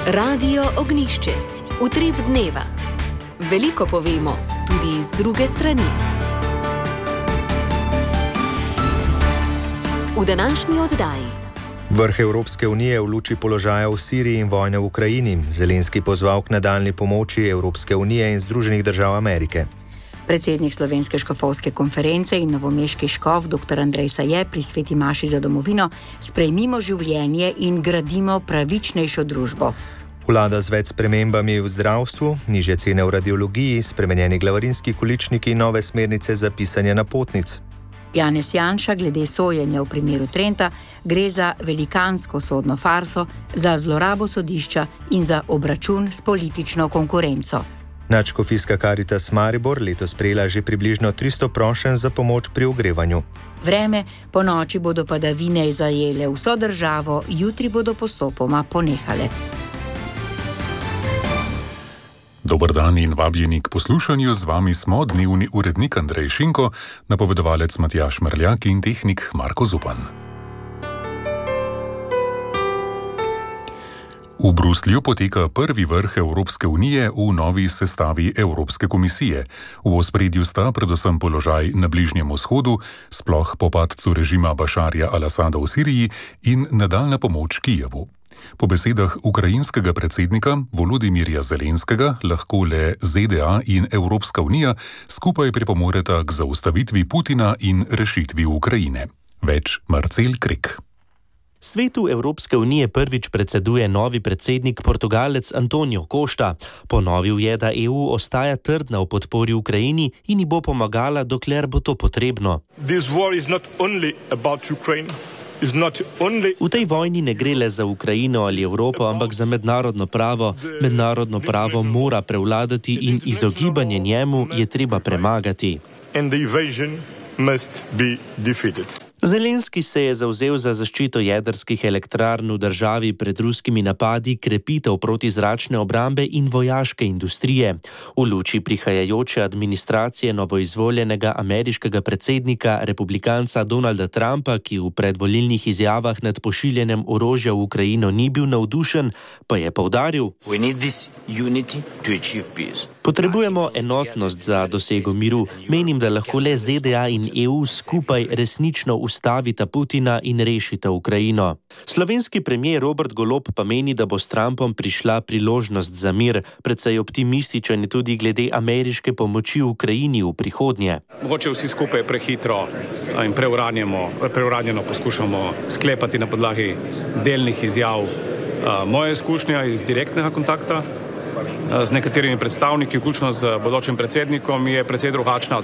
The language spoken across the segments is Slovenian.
Radio Ognjišče. Utrip dneva. Veliko povemo, tudi iz druge strani. V današnji oddaji. Vrh Evropske unije v luči položaja v Siriji in vojne v Ukrajini. Zelenski pozval k nadaljnji pomoči Evropske unije in Združenih držav Amerike. Predsednik Slovenske škofovske konference in novomeški škof dr. Andrej Saje pri sveti maši za domovino: sprejmimo življenje in gradimo pravičnejšo družbo. Vlada z več spremembami v zdravstvu, nižje cene v radiologiji, spremenjeni glavarinski količniki in nove smernice za pisanje napotnic. Janez Janša glede sojenja v primeru Trenta: gre za velikansko sodno farso, za zlorabo sodišča in za obračun s politično konkurenco. Nadškofijska Karitas Maribor letos prejela že približno 300 prošenj za pomoč pri ogrevanju. Vreme, po noči bodo padavine zajele vso državo, jutri bodo postopoma ponehale. Dober dan in vabljeni k poslušanju, z vami smo dnevni urednik Andrej Šinko, napovedovalec Matjaž Mrljak in tehnik Marko Zupan. V Bruslju poteka prvi vrh Evropske unije v novi sestavi Evropske komisije. V ospredju sta predvsem položaj na Bližnjem vzhodu, sploh po padcu režima Bašarja al-Asada v Siriji, in nadaljnja pomoč Kijevu. Po besedah ukrajinskega predsednika Volodimirja Zelenskega lahko le ZDA in Evropska unija skupaj pripomoreta k zaustavitvi Putina in rešitvi Ukrajine. Več Marcel Krek. Svetu Evropske unije prvič predseduje novi predsednik, Portugalec Antonio Costa. Ponovil je, da EU ostaja trdna v podpori Ukrajini in ji bo pomagala, dokler bo to potrebno. V tej vojni ne gre le za Ukrajino ali Evropo, ampak za mednarodno pravo. Mednarodno pravo mora prevladati in izogibanje njemu je treba premagati. Zelenski se je zavzel za zaščito jedrskih elektrarn v državi pred ruskimi napadi, krepitev protizračne obrambe in vojaške industrije. V luči prihajajoče administracije novoizvoljenega ameriškega predsednika, republikanca Donalda Trumpa, ki v predvolilnih izjavah nad pošiljanjem orožja v Ukrajino ni bil navdušen, pa je poudaril: potrebujemo enotnost za dosego miru. Menim, da lahko le ZDA in EU skupaj resnično ustavita Putina in rešita Ukrajino. Slovenski premier Robert Golob pa meni, da bo s Trumpom prišla priložnost za mir. Precej optimističen je tudi glede ameriške pomoči Ukrajini v prihodnje. Mogoče vsi skupaj prehitro in preuranjeno poskušamo sklepati na podlagi delnih izjav. Moja izkušnja iz direktnega kontakta z nekaterimi predstavniki, vključno z bodočim predsednikom, je precej drugačna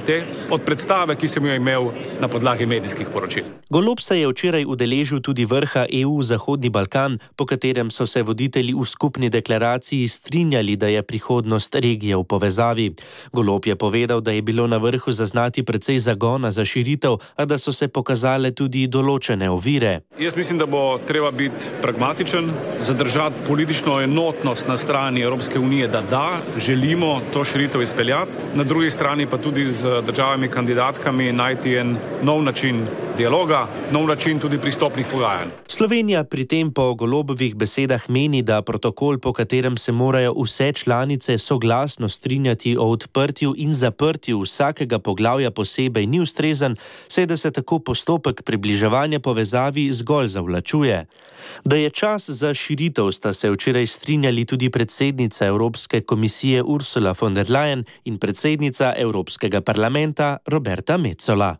od predstave, ki sem jo imel na podlagi medijskih poročil. Golob se je včeraj udeležil tudi vrha EU Zahodni Balkan, po katerem so se voditelji v skupni deklaraciji strinjali, da je prihodnost regije v povezavi. Golob je povedal, da je bilo na vrhu zaznati precej zagona za širitev, a da so se pokazale tudi določene ovire. Jaz mislim, da bo treba biti pragmatičen, zadržati politično enotnost na strani Evropske unije, da želimo to širitev izpeljati, na drugi strani pa tudi z državami kandidatkami najti en nov način dialoga, nov način tudi pristopnih pogajanj. Slovenija pri tem po Golobovih besedah meni, da protokol, po katerem se morajo vse članice soglasno strinjati o odprtju in zaprtju vsakega poglavja posebej, ni ustrezen, saj da se tako postopek približevanja povezavi zgolj zavlačuje. Da je čas za širitev, sta se včeraj strinjali tudi predsednica Evropske komisije Ursula von der Leyen in predsednica Evropskega parlamenta Roberta Metsola.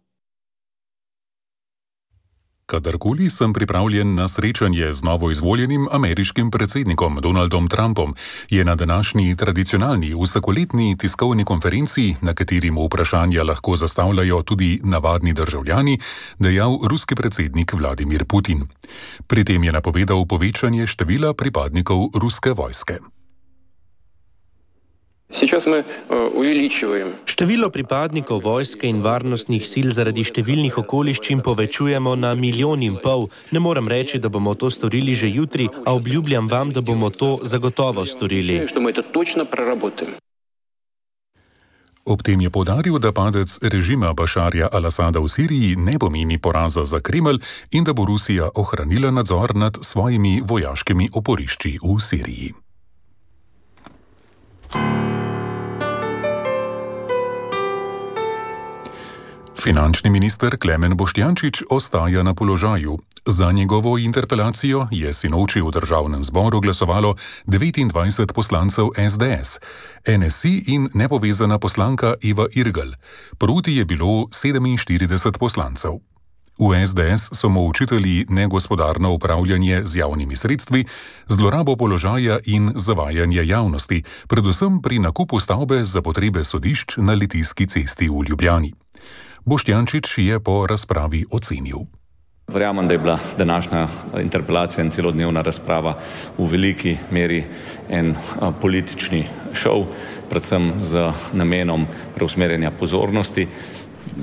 Kadarkoli sem pripravljen na srečanje z novoizvoljenim ameriškim predsednikom Donaldom Trumpom, je na današnji tradicionalni vsakoletni tiskovni konferenci, na kateri mu vprašanja lahko zastavljajo tudi navadni državljani, dejal ruski predsednik Vladimir Putin. Pri tem je napovedal povečanje števila pripadnikov ruske vojske. Število pripadnikov vojske in varnostnih sil zaradi številnih okoliščin povečujemo na 1,5 milijona. Ne morem reči, da bomo to storili že jutri, a obljubljam vam, da bomo to zagotovo storili. Ob tem je poudaril, da padec režima Bašarja al-Asada v Siriji ne pomeni poraza za Kremelj in da bo Rusija ohranila nadzor nad svojimi vojaškimi oporišči v Siriji. Finančni minister Klemen Boštjančič ostaja na položaju. Za njegovo interpelacijo je sinoči v državnem zboru glasovalo 29 poslancev SDS, NSI in nepovezana poslanka Eva Irgl. Proti je bilo 47 poslancev. V SDS so mu očitali negospodarno upravljanje z javnimi sredstvi, zlorabo položaja in zavajanje javnosti, predvsem pri nakupu stavbe za potrebe sodišč na Litijski cesti v Ljubljani. Boštjančič je po razpravi ocenil. Verjamem, da je bila današnja interpelacija in celodnevna razprava v veliki meri en politični šov, predvsem z namenom preusmerjanja pozornosti.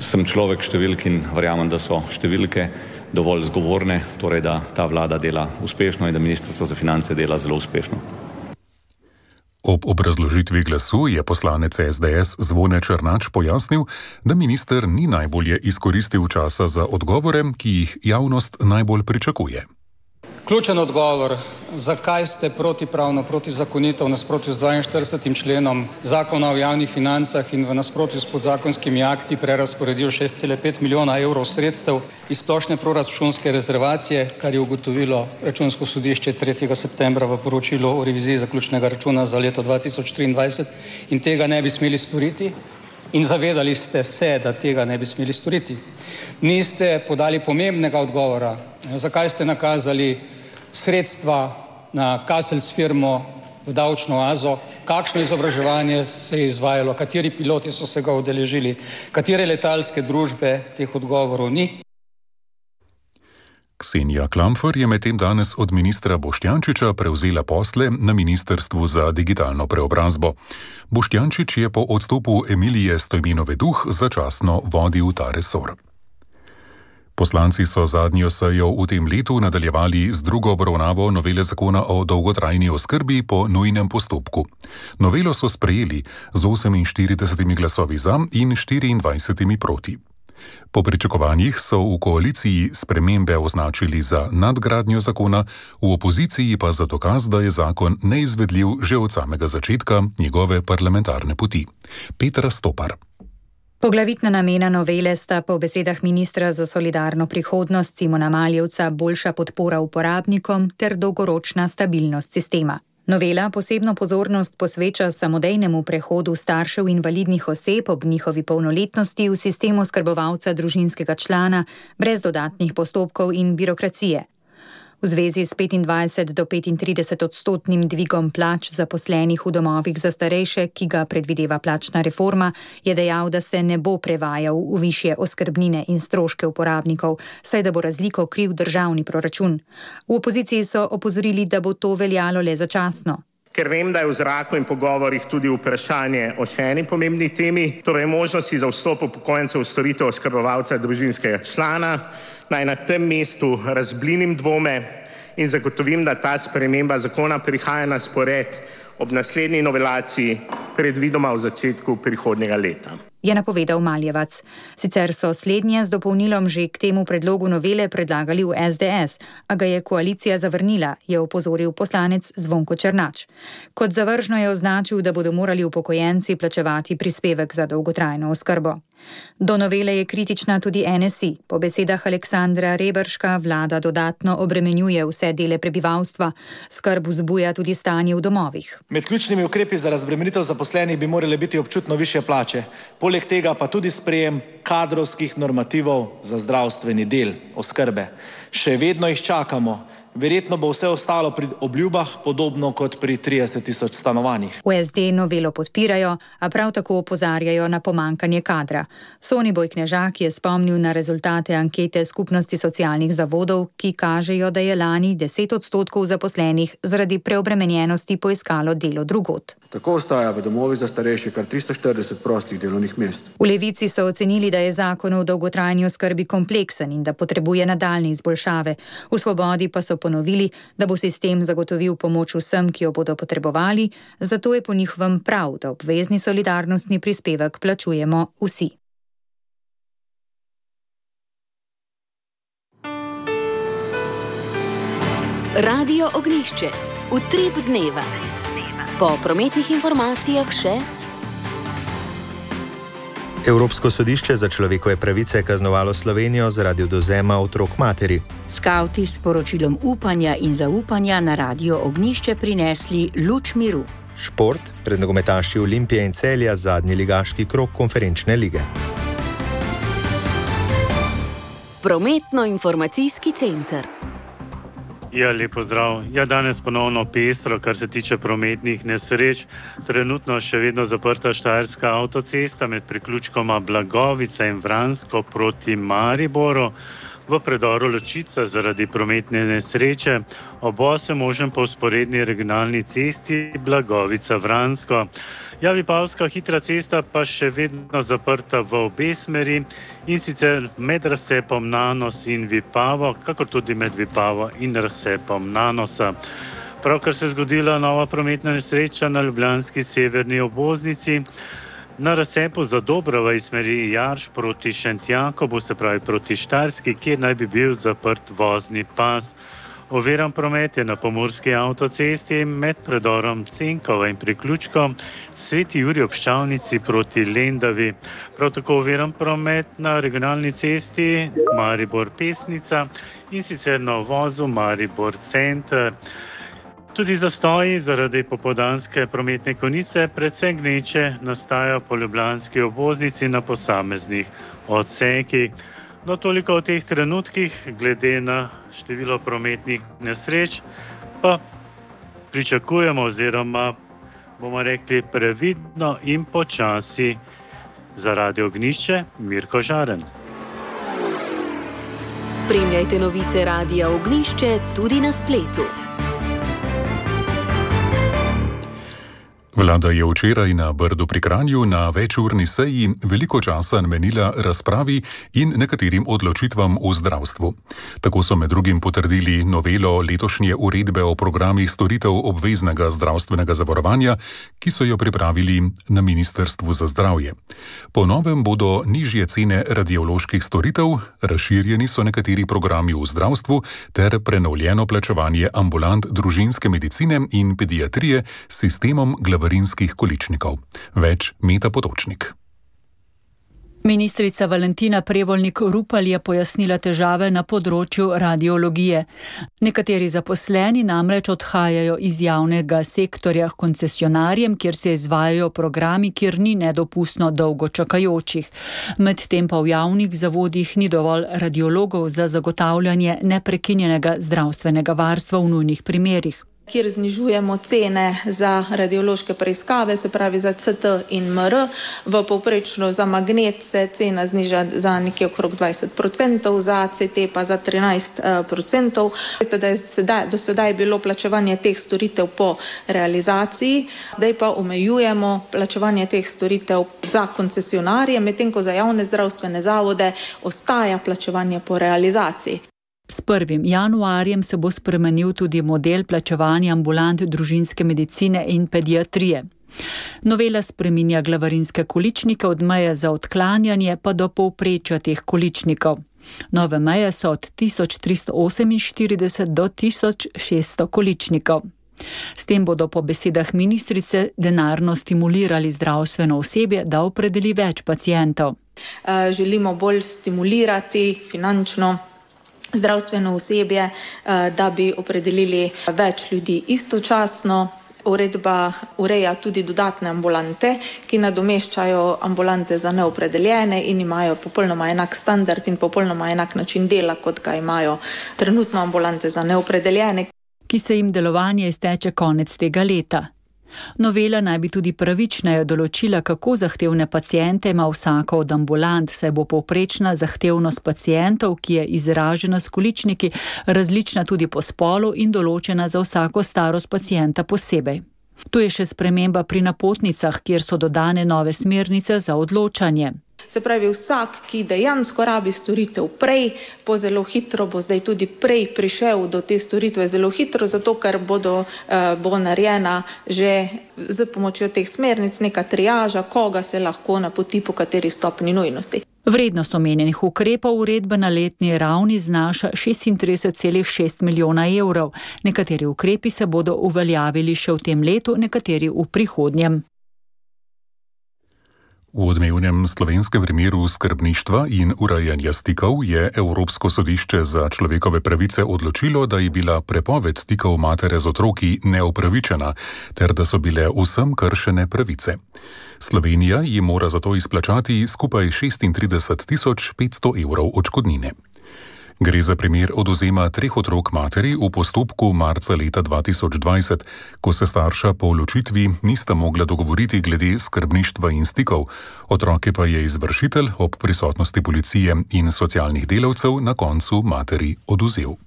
Sem človek številk in verjamem, da so številke dovolj zgovorne, torej da ta vlada dela uspešno in da Ministrstvo za finance dela zelo uspešno. Ob obrazložitvi glasu je poslanec SDS Zvone Černač pojasnil, da minister ni najbolje izkoristil časa za odgovore, ki jih javnost najbolj pričakuje. Ključen odgovor, zakaj ste protipravno, protizakonito v nasprotju z 42. členom Zakona o javnih financah in v nasprotju s podzakonskimi akti prerazporedil 6,5 milijona evrov sredstev iz splošne proračunske rezervacije, kar je ugotovilo Računsko sodišče 3. septembra v poročilu o reviziji zaključnega računa za leto 2023 in tega ne bi smeli storiti. In zavedali ste se, da tega ne bi smeli storiti. Niste podali pomembnega odgovora, zakaj ste nakazali sredstva na Kaselc firmo v davčno oazo, kakšno izobraževanje se je izvajalo, kateri piloti so se ga udeležili, katere letalske družbe, teh odgovorov ni. Ksenija Klampfer je medtem danes od ministra Boštjančiča prevzela posle na Ministrstvu za digitalno preobrazbo. Boštjančič je po odstopu Emilije Stojmenove Duh začasno vodil ta resor. Poslanci so zadnjo sejo v tem letu nadaljevali z drugo obravnavo novele zakona o dolgotrajni oskrbi po nujnem postopku. Novelo so sprejeli z 48 glasovi za in 24 proti. Po pričakovanjih so v koaliciji spremembe označili za nadgradnjo zakona, v opoziciji pa za dokaz, da je zakon neizvedljiv že od samega začetka njegove parlamentarne poti. Petra Stopar. Poglavitna namena novele sta po besedah ministra za solidarno prihodnost Simona Maljevca boljša podpora uporabnikom ter dolgoročna stabilnost sistema. Novela posebno pozornost posveča samodejnemu prehodu staršev invalidnih oseb ob njihovi polnoletnosti v sistem oskrbovalca družinskega člana brez dodatnih postopkov in birokracije. V zvezi s 25 do 35 odstotnim dvigom plač zaposlenih v domovih za starejše, ki ga predvideva plačna reforma, je dejal, da se ne bo prevajal v višje oskrbnine in stroške uporabnikov, saj da bo razliko kriv državni proračun. V opoziciji so opozorili, da bo to veljalo le začasno. Ker vem, da je v zraku in pogovorih tudi vprašanje o še eni pomembni temi, torej možnosti za vstop upokojencev v storitev oskrbovalca družinskega člana, naj na tem mestu razblinim dvome in zagotovim, da ta sprememba zakona prihaja na spored ob naslednji novelaciji, predvidoma v začetku prihodnjega leta. Je napovedal Maljevac. Sicer so slednje z dopolnilom že k temu predlogu novele predlagali v SDS, a ga je koalicija zavrnila, je opozoril poslanec Zvonko Černač. Kot zavržno je označil, da bodo morali upokojenci plačevati prispevek za dolgotrajno oskrbo. Do novele je kritična tudi NSI. Po besedah Aleksandra Reberška vlada dodatno obremenjuje vse dele prebivalstva, skrb vzbuja tudi stanje v domovih. Med ključnimi ukrepi za razbremenitev zaposlenih bi morale biti občutno višje plače. Poleg tega pa tudi sprejem kadrovskih normativov za zdravstveni del oskrbe. Še vedno jih čakamo. Verjetno bo vse ostalo pri obljubah, podobno kot pri 30 tisoč stanovanjih. V SD novelo podpirajo, a prav tako opozarjajo na pomankanje kadra. Soniboj Knežak je spomnil na rezultate ankete Skupnosti socialnih zavodov, ki kažejo, da je lani 10 odstotkov zaposlenih zaradi preobremenjenosti poiskalo delo drugod. Tako ostaja v domovih za starejše kar 340 prostih delovnih mest. V Levici so ocenili, da je zakon o dolgotrajni oskrbi kompleksen in da potrebuje nadaljnje izboljšave. V Svobodi pa so ponovili, da bo sistem zagotovil pomoč vsem, ki jo bodo potrebovali, zato je po njihovem prav, da obvezni solidarnostni prispevek plačujemo vsi. Radio Ognjišče. Utrip dneva. Po prometnih informacijah še. Evropsko sodišče za človekove pravice je kaznovalo Slovenijo zaradi odvzema otrok materi. Skavti s poročilom upanja in zaupanja na Radio Ognjišče prinesli luč miru. Šport, pred nogometaši Olimpije in Celja zadnji ligaški krog konferenčne lige. Prometno-informacijski center. Ja, lepo zdrav. Ja, danes ponovno pestro, kar se tiče prometnih nesreč. Trenutno še vedno zaprta Štajerska avtocesta med priključkoma Blagovica in Vransko proti Mariboru. V predoru Ločica zaradi prometne nesreče, ob 8 možen po vzporedni regionalni cesti Blagovica-Vransko. Ja, Vipavska hitra cesta pa še vedno zaprta v obe smeri in sicer med razcepom Nanos in Vipavo, kakor tudi med Vipavo in razcepom Nanosa. Pravkar se je zgodila nova prometna nesreča na ljubljanski severni obvoznici. Na razcepu Zadobrova iz smeri Jarš proti Šentjakobu, se pravi proti Štajerski, kjer naj bi bil zaprt vozni pas. Oviran promet je na pomurski avtocesti med predorom Cenkova in priključkom Sveti Jurij ob Ščavnici proti Lendavi. Prav tako oviran promet na regionalni cesti Maribor-Pesnica in sicer na uvozu Maribor-Center. Tudi zastoji zaradi popoldanske prometne konice predvsem gneče nastajajo po ljubljanski obvoznici na posameznih odsekih. No, toliko o teh trenutkih, glede na število prometnih nesreč, pa pričakujemo oziroma bomo rekli previdno in počasi. Za Radio Ognjišče, Mirko Žaren. Spremljajte novice Radia Ognjišče tudi na spletu. Vlada je včeraj na Brdu pri Kranju na večurni seji veliko časa namenila razpravi in nekaterim odločitvam v zdravstvu. Tako so med drugim potrdili novelo letošnje uredbe o programih storitev obveznega zdravstvenega zavarovanja, ki so jo pripravili na Ministrstvu za zdravje. Po novem bodo nižje cene radioloških storitev, razširjeni so nekateri programi v zdravstvu ter prenovljeno plačevanje ambulant družinske medicine in pediatrije s sistemom glavarinskih količnikov. Več Meta Potočnik. Ministrica Valentina Prevolnik Rupel je pojasnila težave na področju radiologije. Nekateri zaposleni namreč odhajajo iz javnega sektorja k koncesionarjem, kjer se izvajajo programi, kjer ni nedopustno dolgo čakajočih. Medtem pa v javnih zavodih ni dovolj radiologov za zagotavljanje neprekinjenega zdravstvenega varstva v nujnih primerih. Kjer znižujemo cene za radiološke preiskave, se pravi za CT in MR. V povprečno za magnet se cena zniža za nekje okrog 20%, za CT pa za 13%. Veste, da je do sedaj bilo plačevanje teh storitev po realizaciji, zdaj pa omejujemo plačevanje teh storitev za koncesionarje, medtem ko za javne zdravstvene zavode ostaja plačevanje po realizaciji. S 1. januarjem se bo spremenil tudi model plačevanja ambulant družinske medicine in pediatrije. Novela spreminja glavarinske količnike od meje za odklanjanje pa do povprečja teh količnikov. Nove meje so od 1348 do 1600 količnikov. S tem bodo po besedah ministrice denarno stimulirali zdravstveno osebje, da opredeli več pacientov. Želimo bolj stimulirati finančno zdravstveno osebje, da bi opredelili več ljudi istočasno. Uredba ureja tudi dodatne ambulante, ki nadomeščajo ambulante za neopredeljene in imajo popolnoma enak standard in popolnoma enak način dela, kot ga imajo trenutno ambulante za neopredeljene, ki se jim delovanje izteče konec tega leta. Novela naj bi tudi pravičneje določila, kako zahtevne paciente ima vsaka od ambulant, saj bo povprečna zahtevnost pacientov, ki je izražena s količniki, različna tudi po spolu in določena za vsako starost pacienta posebej. Tu je še sprememba pri napotnicah, kjer so dodane nove smernice za odločanje. Se pravi, vsak, ki dejansko rabi storitev prej, bo zelo hitro, bo zdaj tudi prej prišel do te storitve zelo hitro, zato ker bo narejena že z pomočjo teh smernic neka triaža, koga se lahko napoti po kateri stopni nujnosti. Vrednost omenjenih ukrepov uredbe na letni ravni znaša 36,6 milijona evrov. Nekateri ukrepi se bodo uveljavili še v tem letu, nekateri v prihodnjem. V odmevnem slovenskem primeru skrbništva in urejanja stikov je Evropsko sodišče za človekove pravice odločilo, da je bila prepoved stikov matere z otroki neupravičena, ter da so bile vsem kršene pravice. Slovenija jim mora zato izplačati skupaj 36.500 evrov odškodnine. Gre za primer odvzema 3 otrok materi v postopku marca leta 2020, ko se starša po ločitvi nista mogla dogovoriti glede skrbništva in stikov, otroke pa je izvršitelj ob prisotnosti policije in socialnih delavcev na koncu materi odvzel.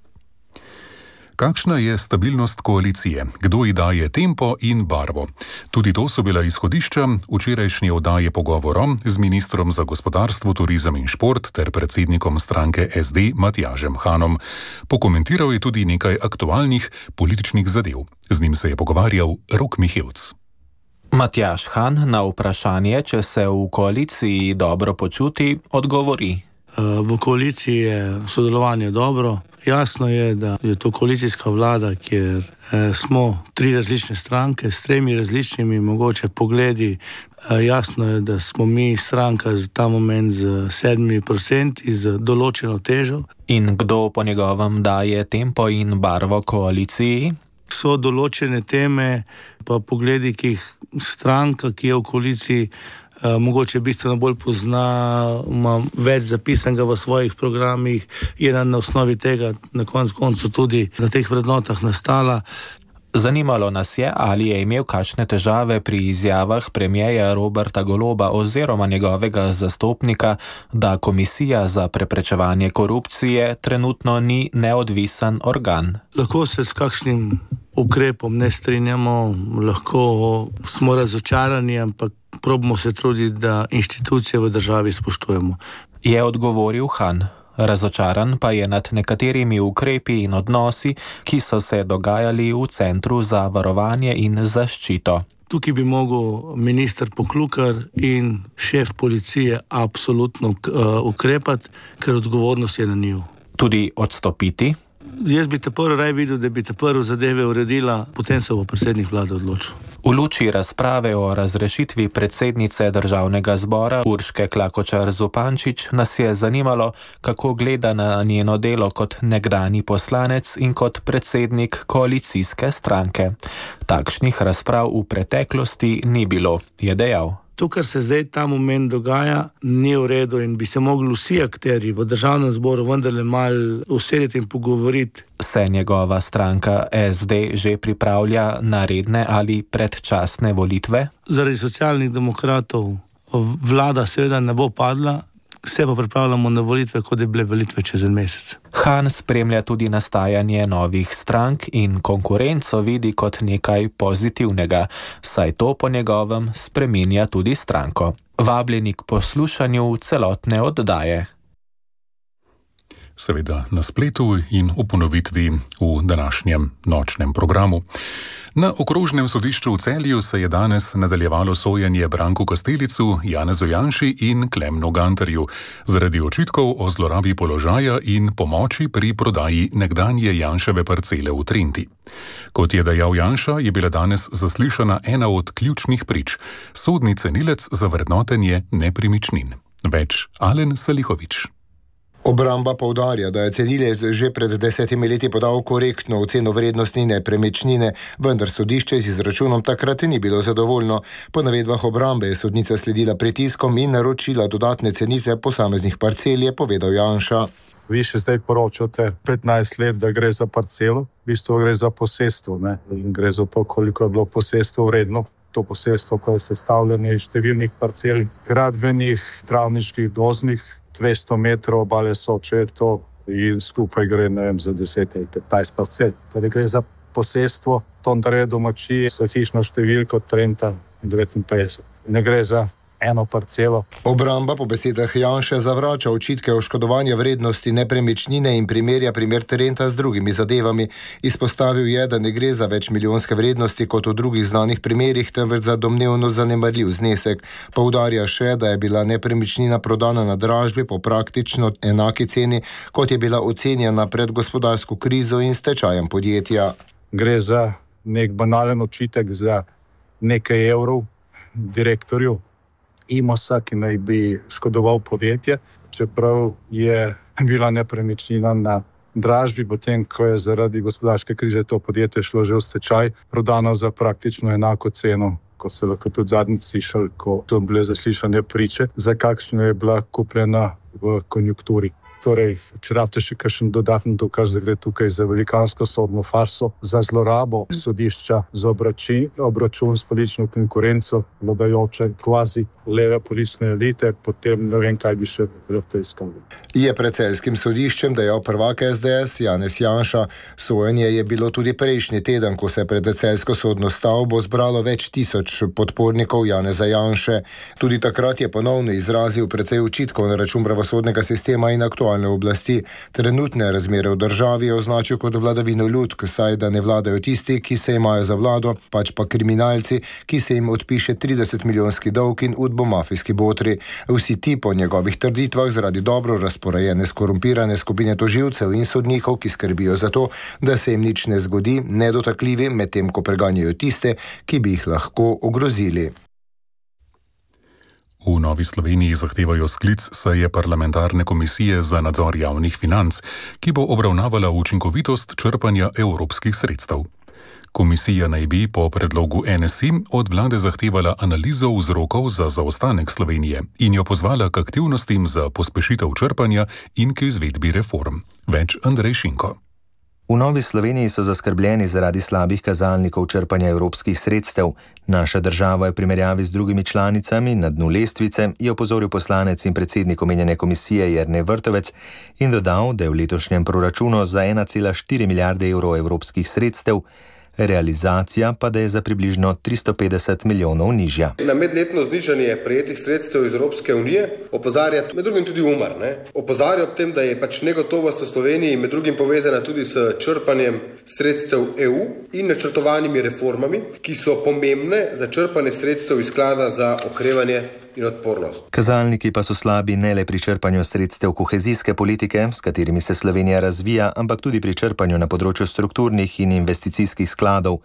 Kakšna je stabilnost koalicije? Kdo ji daje tempo in barvo? Tudi to so bila izhodišča včerajšnje oddaje pogovorom z ministrom za gospodarstvo, turizem in šport ter predsednikom stranke SD Matjažem Hanom. Pokomentiral je tudi nekaj aktualnih političnih zadev. Z njim se je pogovarjal Rok Mihevc. Matjaž Han na vprašanje, če se v koaliciji dobro počuti, odgovori. V koaliciji je sodelovanje dobro. Jasno je, da je to koalicijska vlada, kjer smo 3 različne stranke s 3 različnimi mogoče pogledi. Jasno je, da smo mi stranka za ta moment z 7% z določeno težo. In kdo po njegovem daje tempo in barvo koaliciji? So določene teme, pa pogledi, ki jih stranka, ki je v koaliciji, mogoče bistveno bolj pozna, ima več zapisanega v svojih programih, je na osnovi tega na koncu tudi na teh vrednotah nastala. Zanimalo nas je, ali je imel kakšne težave pri izjavah premierja Roberta Goloba oziroma njegovega zastopnika, da Komisija za preprečevanje korupcije trenutno ni neodvisen organ. Lahko se s kakšnim ukrepom ne strinjamo, lahko smo razočarani, ampak probamo se truditi, da inštitucije v državi spoštujemo. Je odgovoril Han. Razočaran pa je nad nekaterimi ukrepi in odnosi, ki so se dogajali v Centru za varovanje in zaščito. Tukaj bi mogel minister Poklukar in šef policije absolutno ukrepati, ker odgovornost je na njiju. Tudi odstopiti? Jaz bi te prvo raj videl, da bi te prvo zadeve uredila, potem se bo predsednik vlade odločil. V luči razprave o razrešitvi predsednice Državnega zbora Urške Klakočar Zupančič nas je zanimalo, kako gleda na njeno delo kot nekdanji poslanec in kot predsednik koalicijske stranke. Takšnih razprav v preteklosti ni bilo, je dejal. To, kar se zdaj ta moment dogaja, ni v redu in bi se mogli vsi akterji v Državnem zboru vendarle malo usedeti in pogovoriti. Se njegova stranka SD že pripravlja na redne ali predčasne volitve? Zaradi Socialnih demokratov vlada seveda ne bo padla, se pa pripravljamo na volitve, kot je bile volitve čez en mesec. Han spremlja tudi nastajanje novih strank in konkurenco vidi kot nekaj pozitivnega, saj to po njegovem spreminja tudi stranko. Vabljeni k poslušanju celotne oddaje. Seveda na spletu in v ponovitvi v današnjem nočnem programu. Na okrožnem sodišču v Celju se je danes nadaljevalo sojenje Branku Kastelicu, Janezu Janši in Klemnu Gantarju zaradi očitkov o zlorabi položaja in pomoči pri prodaji nekdanje Janševe parcele v Trenti. Kot je dejal Janša, je bila danes zaslišana ena od ključnih prič, sodni cenilec za vrednotenje nepremičnin. Več Alen Salihovič. Obramba poudarja, da je cenilec že pred 10 leti podal korektno oceno vrednosti nepremičnine, vendar sodišče z izračunom takrat ni bilo zadovoljno. Po navedbah obrambe je sodnica sledila pritiskom in naročila dodatne cenitve posameznih parcel, je povedal Janša. Vi še zdaj poročate 15 let, da gre za parcelo, v bistvu gre za posestvo, ne? In gre za to, koliko je bilo posestvo vredno. To posestvo, ko je sestavljeno iz številnih parcel, gradbenih, travniških, gozdnih, 200 metrov obale Soče je to in skupaj gre, ne vem, za 10 ali 15 parcel. Torej gre za posestvo Tondarje domačije s hišno številko Trenta 59. Ne gre za eno parcelo. Obramba po besedah Janše zavrača očitke oškodovanja vrednosti nepremičnine in primerja primer Trenta z drugimi zadevami. Izpostavil je, da ne gre za večmilijonske vrednosti kot v drugih znanih primerih, temveč za domnevno zanemarljiv znesek. Poudarja še, da je bila nepremičnina prodana na dražbi po praktično enaki ceni, kot je bila ocenjena pred gospodarsko krizo in stečajem podjetja. Gre za nek banalen očitek za nekaj evrov direktorju Imosa, ki naj bi škodoval podjetje, čeprav je bila nepremičnina na dražbi, potem ko je zaradi gospodarske krize to podjetje šlo že v stečaj, prodano za praktično enako ceno, ko se lahko tudi zadnjič slišali, ko so bile zaslišane priče, za kakšno je bila kupljena v konjunkturi. Torej, če rabite še kakšen dodatni dokaz, da gre tukaj za velikansko sodno farso, za zlorabo sodišča za obračun s politično konkurenco vladajoče kvazi leve politične elite, potem ne vem, kaj bi še lahko iskali. Je pred celjskim sodiščem dejal prvak SDS Janez Janša. Sojenje je bilo tudi prejšnji teden, ko se je pred celjsko sodno stavbo zbralo več tisoč podpornikov Janeza Janše. Tudi takrat je ponovno izrazil precej očitkov na račun pravosodnega sistema in aktualne oblasti. Trenutne razmere v državi je označil kot vladavino ljudk, saj da ne vladajo tisti, ki se imajo za vlado, pač pa kriminalci, ki se jim odpiše 30-milijonski dolg in udbomafijski botri. Vsi ti po njegovih trditvah zaradi dobro razporejene skorumpirane skupine tožilcev in sodnikov, ki skrbijo za to, da se jim nič ne zgodi, nedotakljivi, medtem ko preganjajo tiste, ki bi jih lahko ogrozili. V Novi Sloveniji zahtevajo sklic seje parlamentarne komisije za nadzor javnih financ, ki bo obravnavala učinkovitost črpanja evropskih sredstev. Komisija naj bi po predlogu NSI od vlade zahtevala analizo vzrokov za zaostanek Slovenije in jo pozvala k aktivnostim za pospešitev črpanja in k izvedbi reform. Več Andrej Šinko. V Novi Sloveniji so zaskrbljeni zaradi slabih kazalnikov črpanja evropskih sredstev. Naša država je v primerjavi z drugimi članicami na dnu lestvice, je opozoril poslanec in predsednik omenjene komisije Jernej Vrtovec in dodal, da je v letošnjem proračunu za 1,4 milijarde evrov evropskih sredstev, realizacija pa da je za približno 350 milijonov nižja. Na medletno znižanje prejetih sredstev iz Evropske unije opozarja med drugim tudi UMAR. Opozarja ob tem, da je negotovost v Sloveniji med drugim povezana tudi s črpanjem sredstev EU in načrtovanimi reformami, ki so pomembne za črpanje sredstev iz sklada za okrevanje in odpornost. Kazalniki pa so slabi ne le pri črpanju sredstev kohezijske politike, s katerimi se Slovenija razvija, ampak tudi pri črpanju na področju strukturnih in investicijskih skladov.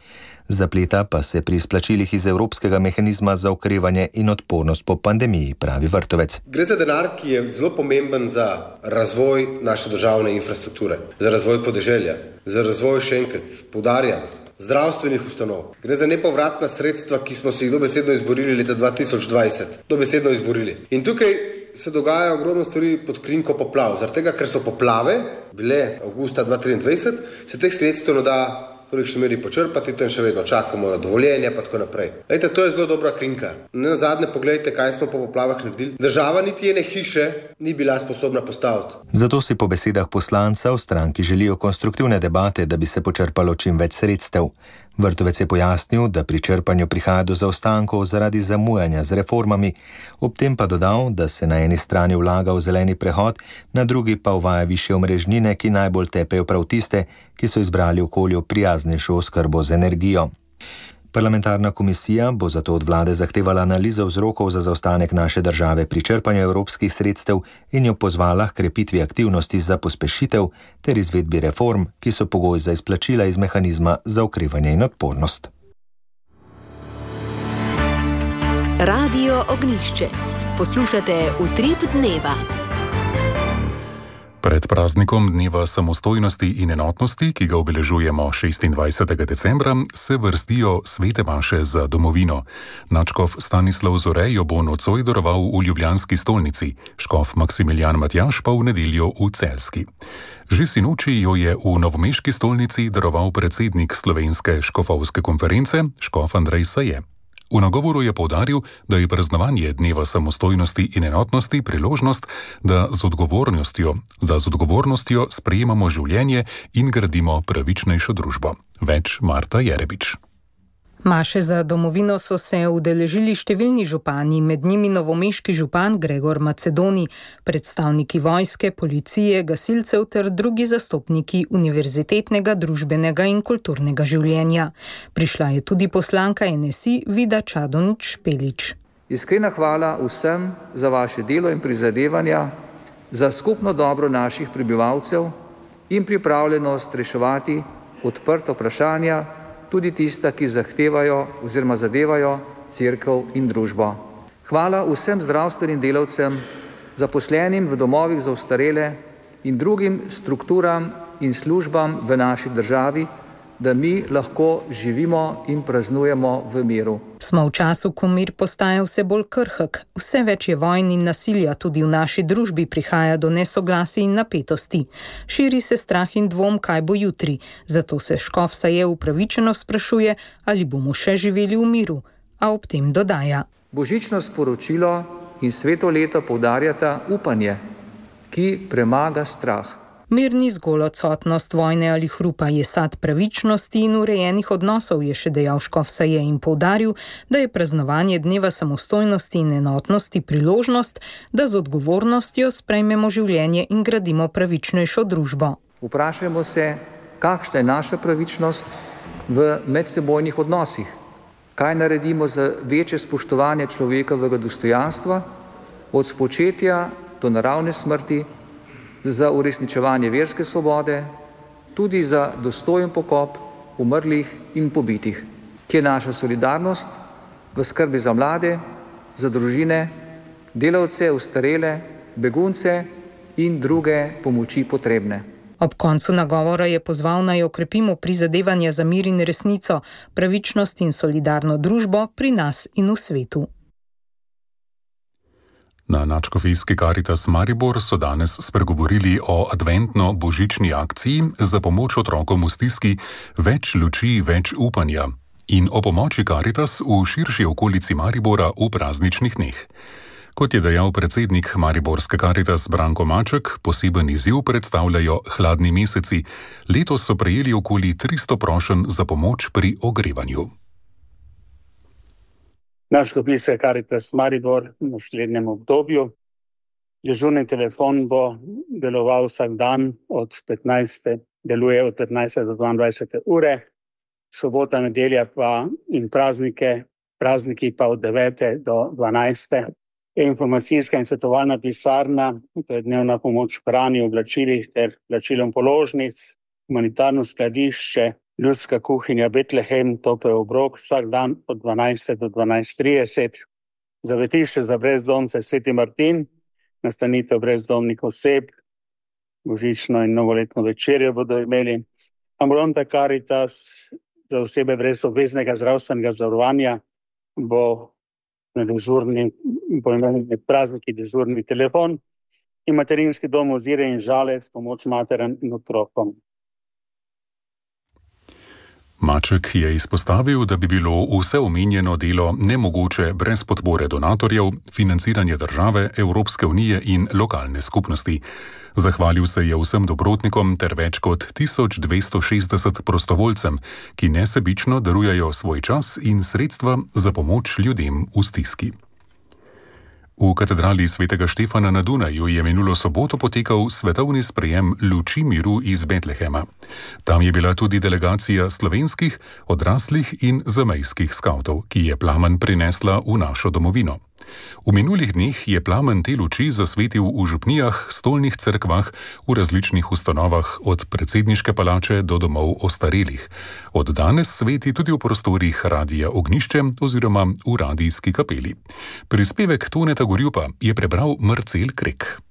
Zapleta pa se pri izplačilih iz Evropskega mehanizma za okrevanje in odpornost po pandemiji, pravi Vrtovec. Gre za denar, ki je zelo pomemben za razvoj naše državne infrastrukture, za razvoj podeželja, za razvoj, še enkrat poudarjam, zdravstvenih ustanov. Gre za nepovratna sredstva, ki smo si jih dobesedno izborili leta 2020. Dobesedno izborili. In tukaj se dogaja ogromno stvari pod krinko poplav. Zaradi tega, ker so poplave bile avgusta 2023, se teh sredstev ne da v tolikšni meri počrpati, in še vedno čakamo na dovoljenje, pa tako naprej. Lejte, to je zelo dobra krinka. Nazadnje pogledajte, kaj smo po poplavah naredili. Država niti ene hiše ni bila sposobna postaviti. Zato si po besedah poslanca v stranki želijo konstruktivne debate, da bi se počrpalo čim več sredstev. Vrtovec je pojasnil, da pri črpanju prihaja do zaostankov zaradi zamujanja z reformami, ob tem pa dodal, da se na eni strani vlaga v zeleni prehod, na drugi pa uvaja višje omrežnine, ki najbolj tepejo prav tiste, ki so izbrali okolju prijaznejšo oskrbo z energijo. Parlamentarna komisija bo zato od vlade zahtevala analizo vzrokov za zaostanek naše države pri črpanju evropskih sredstev in jo pozvala k krepitvi aktivnosti za pospešitev ter izvedbi reform, ki so pogoj za izplačila iz mehanizma za okrevanje in odpornost. Radio Ognjišče. Poslušate Utrip dneva. Pred praznikom Dneva samostojnosti in enotnosti, ki ga obeležujemo 26. decembra, se vrstijo svete maše za domovino. Nadškof Stanislav Zore jo bo nocoj daroval v ljubljanski stolnici, škof Maksimilijan Matjaž pa v nedeljo v Celjski. Že sinoči jo je v novomeški stolnici daroval predsednik Slovenske škofovske konference, škof Andrej Saje. V nagovoru je poudaril, da je praznovanje Dneva samostojnosti in enotnosti priložnost, da z odgovornostjo sprejemamo življenje in gradimo pravičnejšo družbo. Več Marta Jerebič. Maše za domovino so se udeležili številni župani, med njimi novomeški župan Gregor Macedoni, predstavniki vojske, policije, gasilcev ter drugi zastopniki univerzitetnega, družbenega in kulturnega življenja. Prišla je tudi poslanka NSI Vida Čadonič Špelič. Iskrena hvala vsem za vaše delo in prizadevanja, za skupno dobro naših prebivalcev in pripravljenost reševati odprta vprašanja, tudi tista, ki zahtevajo oziroma zadevajo cerkev in družbo. Hvala vsem zdravstvenim delavcem, zaposlenim v domovih za ostarele in drugim strukturam in službam v naši državi, da mi lahko živimo in praznujemo v miru. Smo v času, ko mir postaja vse bolj krhek, vse več je vojn in nasilja, tudi v naši družbi prihaja do nesoglasij in napetosti. Širi se strah in dvom, kaj bo jutri, zato se škof Saje upravičeno sprašuje, ali bomo še živeli v miru, a ob tem dodaja. Božično sporočilo in sveto leto poudarjata upanje, ki premaga strah. Mir ni zgolj odsotnost vojne ali hrupa, je sad pravičnosti in urejenih odnosov, je še dejal škof Saje in poudaril, da je praznovanje dneva samostojnosti in enotnosti priložnost, da z odgovornostjo sprejmemo življenje in gradimo pravičnejšo družbo. Vprašajmo se, kakšna je naša pravičnost v medsebojnih odnosih. Kaj naredimo za večje spoštovanje človekovega dostojanstva, od spočetja do naravne smrti, za uresničevanje verske svobode, tudi za dostojen pokop umrlih in pobitih, ki je naša solidarnost v skrbi za mlade, za družine, delavce, ostarele, begunce in druge pomoči potrebne. Ob koncu nagovora je pozval, naj okrepimo prizadevanja za mir in resnico, pravičnost in solidarno družbo pri nas in v svetu. Na Nadškofijski Karitas Maribor so danes spregovorili o adventno-božični akciji za pomoč otrokom v stiski Več luči, več upanja in o pomoči Karitas v širši okolici Maribora v prazničnih dneh. Kot je dejal predsednik Mariborske Karitas Branko Maček, poseben izziv predstavljajo hladni meseci. Letos so prejeli okoli 300 prošenj za pomoč pri ogrevanju. Nadškofijska Karitas Maribor v naslednjem obdobju. Dežurni telefon bo deloval vsak dan deluje od 15. do 22. ure, sobota, nedelja pa in prazniki pa od 9. do 12. Informacijska in svetovalna pisarna, to je dnevna pomoč hrani, oblačilih ter plačilom položnic, humanitarno skladišče, ljudska kuhinja Betlehem, topel obrok, vsak dan od 12. do 12.30. Zavetišče za brezdomce Sveti Martin, nastanitev brezdomnih oseb, božično in novoletno večerjo bodo imeli. Ambulanta Karitas za osebe brez obveznega zdravstvenega zavarovanja bo imeli med prazniki dežurni telefon in materinski dom Ozire in Žalec, pomoč materam in otrokom. Maček je izpostavil, da bi bilo vse omenjeno delo nemogoče brez podpore donatorjev, financiranja države, Evropske unije in lokalne skupnosti. Zahvalil se je vsem dobrotnikom ter več kot 1260 prostovoljcem, ki nesebično darujejo svoj čas in sredstva za pomoč ljudem v stiski. V katedrali Svetega Štefana na Dunaju je minulo soboto potekal svetovni sprejem luči miru iz Betlehema. Tam je bila tudi delegacija slovenskih, odraslih in zamejskih skavtov, ki je plamen prinesla v našo domovino. V minulih dneh je plamen te luči zasvetil v župnijah, stolnih cerkvah, v različnih ustanovah, od predsedniške palače do domov ostarelih. Od danes sveti tudi v prostorih Radia Ognjišče oziroma v radijski kapeli. Prispevek Toneta Gorjupa je prebral Marcel Krek.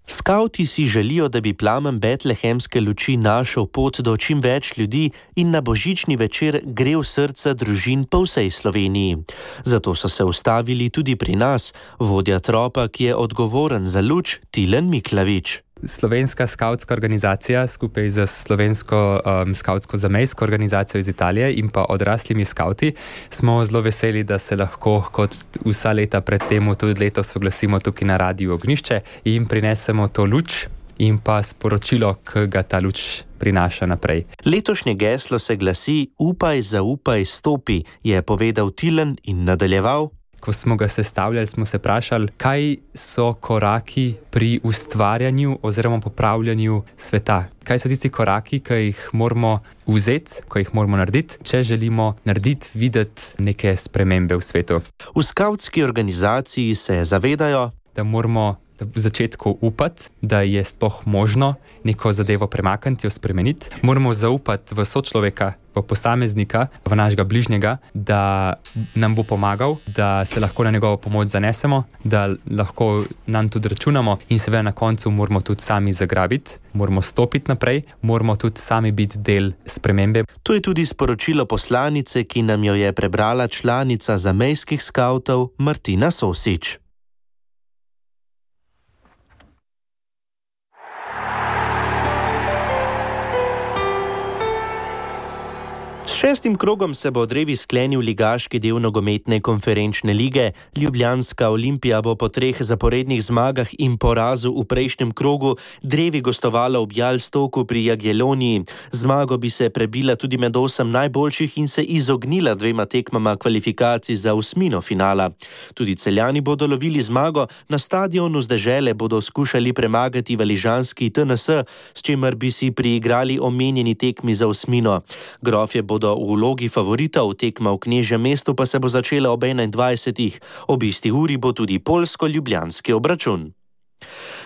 Skavti si želijo, da bi plamen betlehemske luči našel pot do čim več ljudi in na božični večer grel srca družin po vsej Sloveniji. Zato so se ustavili tudi pri nas, vodja tropa, ki je odgovoren za luč, Tilen Miklavič. Slovenska skavtska organizacija skupaj z slovensko skavtsko-zamejsko organizacijo iz Italije in pa odraslimi skavti smo zelo veseli, da se lahko kot vsa leta pred temu tudi letos oglasimo tukaj na Radiu Ognjišče in prinesemo to luč, in pa sporočilo, ki ga ta luč prinaša naprej. Letošnje geslo se glasi: Upaj, zaupaj, stopi, je povedal Tilen in nadaljeval. Ko smo ga sestavljali, smo se vprašali, kaj so koraki pri ustvarjanju oziroma popravljanju sveta. Kaj so tisti koraki, ki jih moramo vzeti, ki jih moramo narediti, če želimo narediti, videti neke spremembe v svetu. V skavtski organizaciji se zavedajo, da moramo v začetku upati, da je sploh možno neko zadevo premakniti, jo spremeniti. Moramo zaupati v sočloveka, v posameznika, v našega bližnjega, da nam bo pomagal, da se lahko na njegovo pomoč zanesemo, da lahko nam tudi računamo in seveda na koncu moramo tudi sami zagrabiti, moramo stopiti naprej, moramo tudi sami biti del spremembe. To je tudi sporočilo poslanice, ki nam jo je prebrala članica zamejskih skavtov Martina Sosič. S 6. krogom se bo drevi sklenil ligaški del nogometne konferenčne lige. Ljubljanska Olimpija bo po 3 zaporednih zmagah in porazu v prejšnjem krogu drevi gostovala v Bjalstoku pri Jagielloniji. Zmago bi se prebila tudi med 8 najboljših in se izognila 2 tekmama kvalifikacij za osmino finala. Tudi Celjani bodo lovili zmago, na stadionu z dežele bodo skušali premagati valižanski TNS, s čimer bi si priigrali omenjeni tekmi za osmino. Grofje bodo v vlogi favoritov, tekma v Knežjem mestu pa se bo začela ob 21. Ob isti uri bo tudi poljsko-ljubljanski obračun.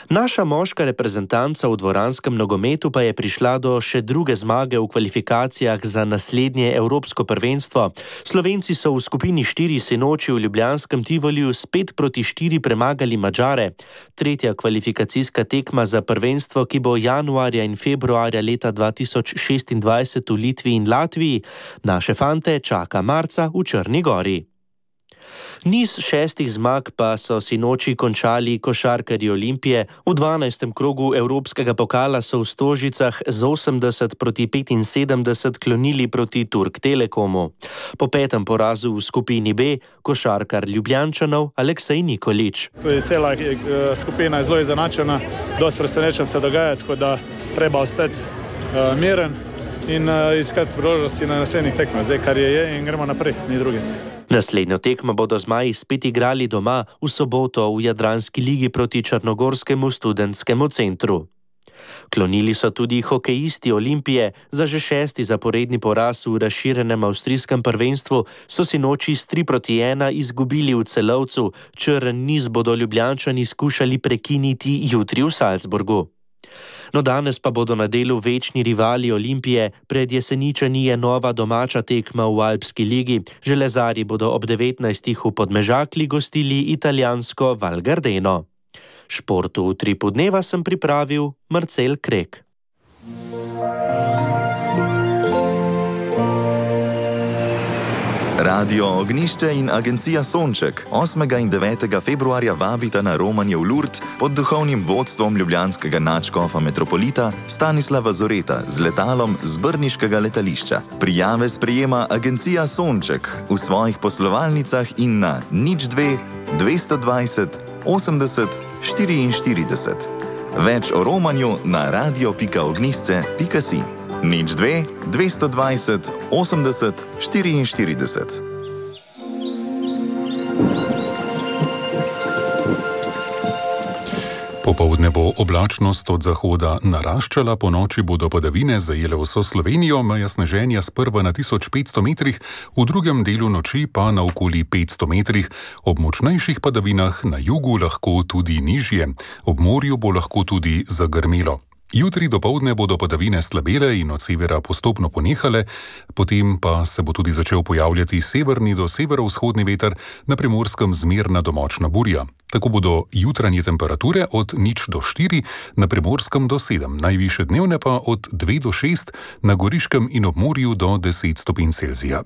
Naša moška reprezentanca v dvoranskem nogometu pa je prišla do še druge zmage v kvalifikacijah za naslednje evropsko prvenstvo. Slovenci so v skupini 4 sinoči v ljubljanskem Tivoliju s 5-4 premagali Madžare. Tretja kvalifikacijska tekma za prvenstvo, ki bo januarja in februarja leta 2026 v Litvi in Latviji, naše fante čaka marca v Črni Gori. Niz 6 zmag pa so sinoči končali košarkarji Olimpije. V 12. krogu evropskega pokala so v Stožicah z 80-75 klonili proti Turk Telekomu. Po 5. porazu v skupini B košarkar Ljubljančanov Aleksej Nikolić. To je cela skupina zelo izenačena, dosti presenečen se dogaja, tako da treba ostati miren in iskati priložnosti na naslednjih tekmah. Zdaj, kar je in gremo naprej, ni druge. Naslednjo tekmo bodo zmaji spet igrali doma v soboto v Jadranski ligi proti Črnogorskemu študentskemu centru. Klonili so tudi hokejisti Olimpije. Za že 6. zaporedni poraz v razširjenem avstrijskem prvenstvu so sinoči s 3-1 izgubili v Celovcu. Črn niz bodo Ljubljančani skušali prekiniti jutri v Salzburgu. No, danes pa bodo na delu večni rivali Olimpije. Pred Jeseničani je nova domača tekma v Alpski ligi. Železarji bodo ob 19. v Podmežakli gostili italijansko Val Gardeno. Športu v Utripu dneva sem pripravil Marcel Krek. Radio Ognišče in agencija Sonček 8. in 9. februarja vabita na romanje v Lourdes pod duhovnim vodstvom ljubljanskega nadškofa metropolita Stanislava Zoreta z letalom z brniškega letališča. Prijave sprejema agencija Sonček v svojih poslovalnicah in na 02 220 80 44. Več o romanju na radio.ognisce.si. 02 220 80 44. Popoldne bo oblačnost od zahoda naraščala, po noči bodo padavine zajele vso Slovenijo, meja sneženja sprva na 1500 metrih, v drugem delu noči pa na okoli 500 metrih, ob močnejših padavinah na jugu lahko tudi nižje, ob morju bo lahko tudi zagrmelo. Jutri dopoldne bodo padavine slabele in od severa postopno ponehale, potem pa se bo tudi začel pojavljati severni do severovzhodni veter, na Primorskem zmerna do močna burja. Tako bodo jutranje temperature od 0 do 4, na Primorskem do 7, najvišje dnevne pa od 2 do 6, na Goriškem in ob morju do 10 stopinj Celzija.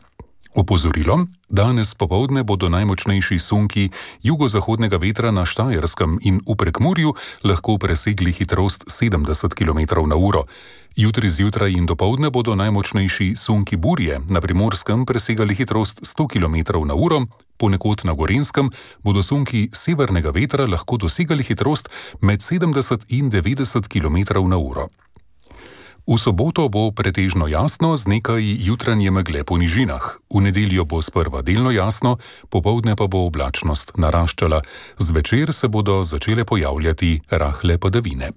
Opozorilo: danes popoldne bodo najmočnejši sunki jugozahodnega vetra na Štajerskem in v Prekmurju lahko presegli hitrost 70 km/h. Jutri zjutraj in dopoldne bodo najmočnejši sunki burje na Primorskem presegali hitrost 100 km/h, ponekod na Gorenjskem bodo sunki severnega vetra lahko dosegali hitrost med 70 in 90 km/h. V soboto bo pretežno jasno z nekaj jutranje megle po nižinah. V nedeljo bo sprva delno jasno, popoldne pa bo oblačnost naraščala. Zvečer se bodo začele pojavljati rahle padavine.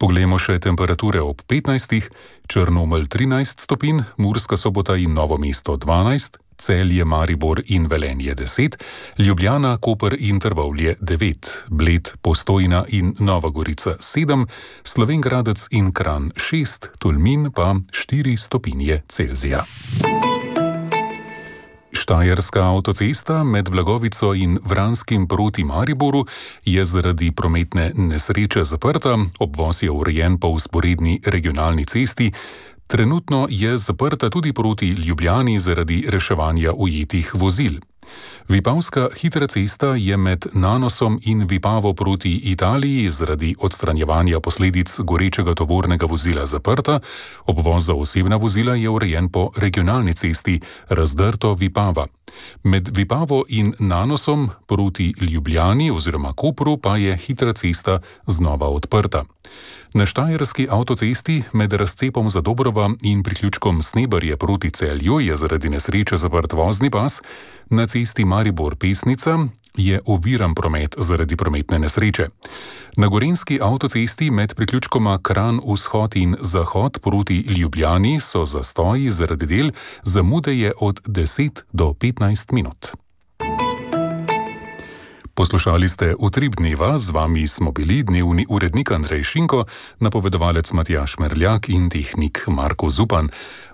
Poglejmo še temperature ob 15. Črnomelj 13 stopinj, Murska Sobota in Novo mesto 12, Celje, Maribor in Velenje 10, Ljubljana, Koper in Trbovlje 9, Bled, Postojna in Nova Gorica 7, Slovenj Gradec in Kranj 6, Tolmin pa 4 stopinje Celzija. Štajerska avtocesta med Blagovico in Vranskim proti Mariboru je zaradi prometne nesreče zaprta, obvoz je urejen po vzporedni regionalni cesti. Trenutno je zaprta tudi proti Ljubljani zaradi reševanja ujetih vozil. Vipavska hitra cesta je med Nanosom in Vipavo proti Italiji zaradi odstranjevanja posledic gorečega tovornega vozila zaprta, obvoz za osebna vozila je urejen po regionalni cesti Razdrto Vipava. Med Vipavo in Nanosom proti Ljubljani oziroma Kopru pa je hitra cesta znova odprta. Na Štajerski avtocesti med razcepom za Dobrova in priključkom Snebarje proti Celju je zaradi nesreče zaprt vozni pas, na cesti Maribor-Pesnica je oviran promet zaradi prometne nesreče. Na Gorenjski avtocesti med priključkoma Kranj vzhod in zahod proti Ljubljani so zastoji zaradi del, zamude je od 10 do 15 minut. Poslušali ste Utrip dneva, z vami smo bili dnevni urednik Andrej Šinko, napovedovalec Matjaž Merljak in tehnik Marko Zupan.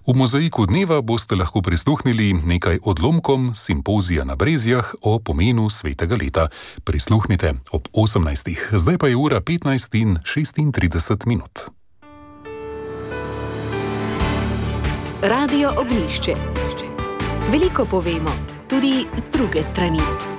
V mozaiku dneva boste lahko prisluhnili nekaj odlomkom simpozija na Brezjah o pomenu svetega leta. Prisluhnite ob 18. Zdaj pa je ura 15 in 36 minut. Radio Ognjišče. Veliko povemo, tudi z druge strani.